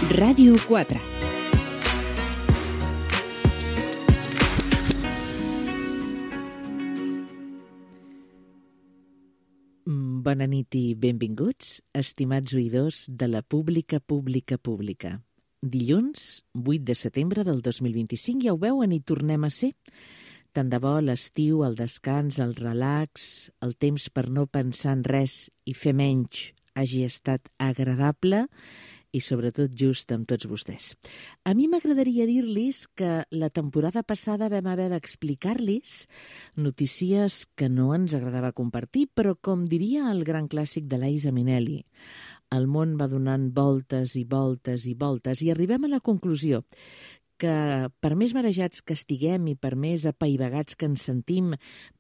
Ràdio 4. Bona nit i benvinguts, estimats oïdors de la Pública. Dilluns, 8 de setembre del 2025, ja ho veuen, i tornem a ser. Tant de bo l'estiu, el descans, el relax, el temps per no pensar en res i fer menys hagi estat agradable i sobretot just amb tots vostès. A mi m'agradaria dir-los que la temporada passada vam haver d'explicar-los notícies que no ens agradava compartir, però com diria el gran clàssic de Liza Minnelli, el món va donant voltes i voltes i voltes i arribem a la conclusió que per més marejats que estiguem i per més apaivagats que ens sentim,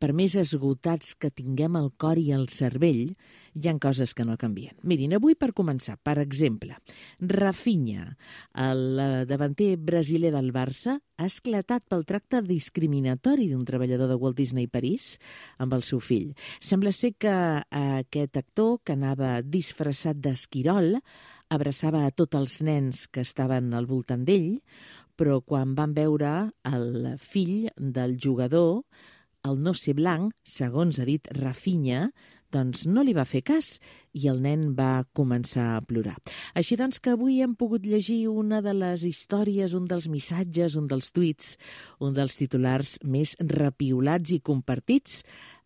per més esgotats que tinguem el cor i el cervell, hi ha coses que no canvien. Mirin, avui per començar, per exemple, Rafinha, el davanter brasiler del Barça, ha esclatat pel tracte discriminatori d'un treballador de Walt Disney París amb el seu fill. Sembla ser que aquest actor, que anava disfressat d'esquirol, abraçava a tots els nens que estaven al voltant d'ell, però quan van veure el fill del jugador, el no ser blanc, segons ha dit Rafinha, doncs no li va fer cas i el nen va començar a plorar. Així doncs que avui hem pogut llegir una de les històries, un dels missatges, un dels tuits, un dels titulars més repiolats i compartits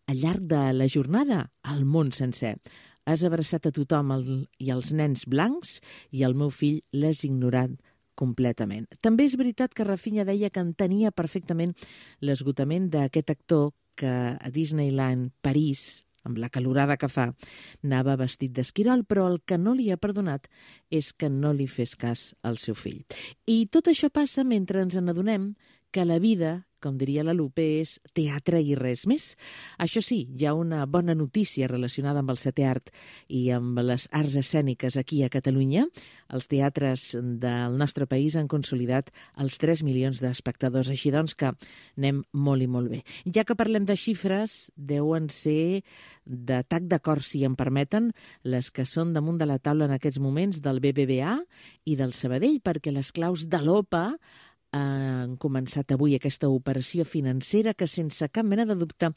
al llarg de la jornada, al món sencer. Has abraçat a tothom i els nens blancs i el meu fill l'has ignorat completament. També és veritat que Rafinha deia que entenia perfectament l'esgotament d'aquest actor que a Disneyland París, amb la calorada que fa, anava vestit d'esquirol, però el que no li ha perdonat és que no li fes cas al seu fill. I tot això passa mentre ens n'adonem que la vida, com diria la Lupe, és teatre i res més. Això sí, hi ha una bona notícia relacionada amb el setè art i amb les arts escèniques aquí a Catalunya. Els teatres del nostre país han consolidat els 3 milions d'espectadors, així doncs que anem molt i molt bé. Ja que parlem de xifres, deuen ser d'atac de cor, si em permeten, les que són damunt de la taula en aquests moments del BBVA i del Sabadell, perquè les claus de l'OPA han començat avui aquesta operació financera que sense cap mena de dubte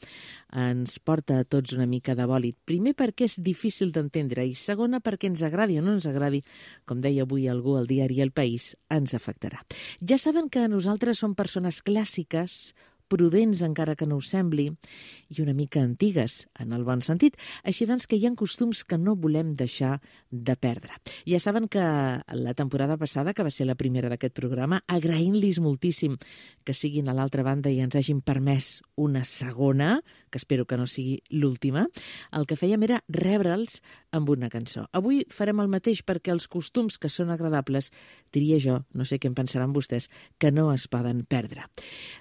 ens porta a tots una mica de bòlit. Primer perquè és difícil d'entendre i segona perquè ens agradi o no ens agradi, com deia avui algú al diari El País, ens afectarà. Ja saben que nosaltres som persones clàssiques, prudents encara que no ho sembli, i una mica antigues, en el bon sentit. Així doncs que hi ha costums que no volem deixar de perdre. Ja saben que la temporada passada, que va ser la primera d'aquest programa, agraint-los moltíssim que siguin a l'altra banda i ens hagin permès una segona, que espero que no sigui l'última, el que fèiem era rebre'ls amb una cançó. Avui farem el mateix perquè els costums que són agradables, diria jo, no sé què en pensaran vostès, que no es poden perdre.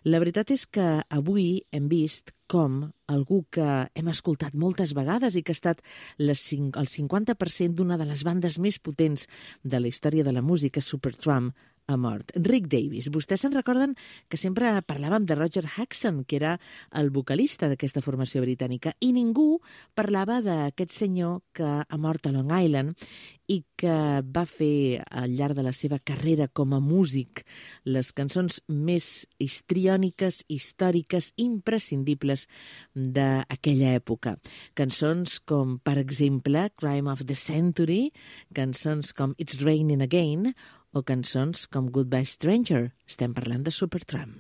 La veritat és que avui hem vist com algú que hem escoltat moltes vegades i que ha estat el 50% d'una de les bandes més potents de la història de la música, Supertramp, ha mort. Rick Davies. Vostès se'n recorden que sempre parlàvem de Roger Hodgson, que era el vocalista d'aquesta formació britànica, i ningú parlava d'aquest senyor que ha mort a Long Island i que va fer al llarg de la seva carrera com a músic les cançons més histriòniques, històriques, imprescindibles d'aquella època. Cançons com, per exemple, Crime of the Century, cançons com It's Raining Again o cançons com Goodbye Stranger. Estem parlant de Supertramp.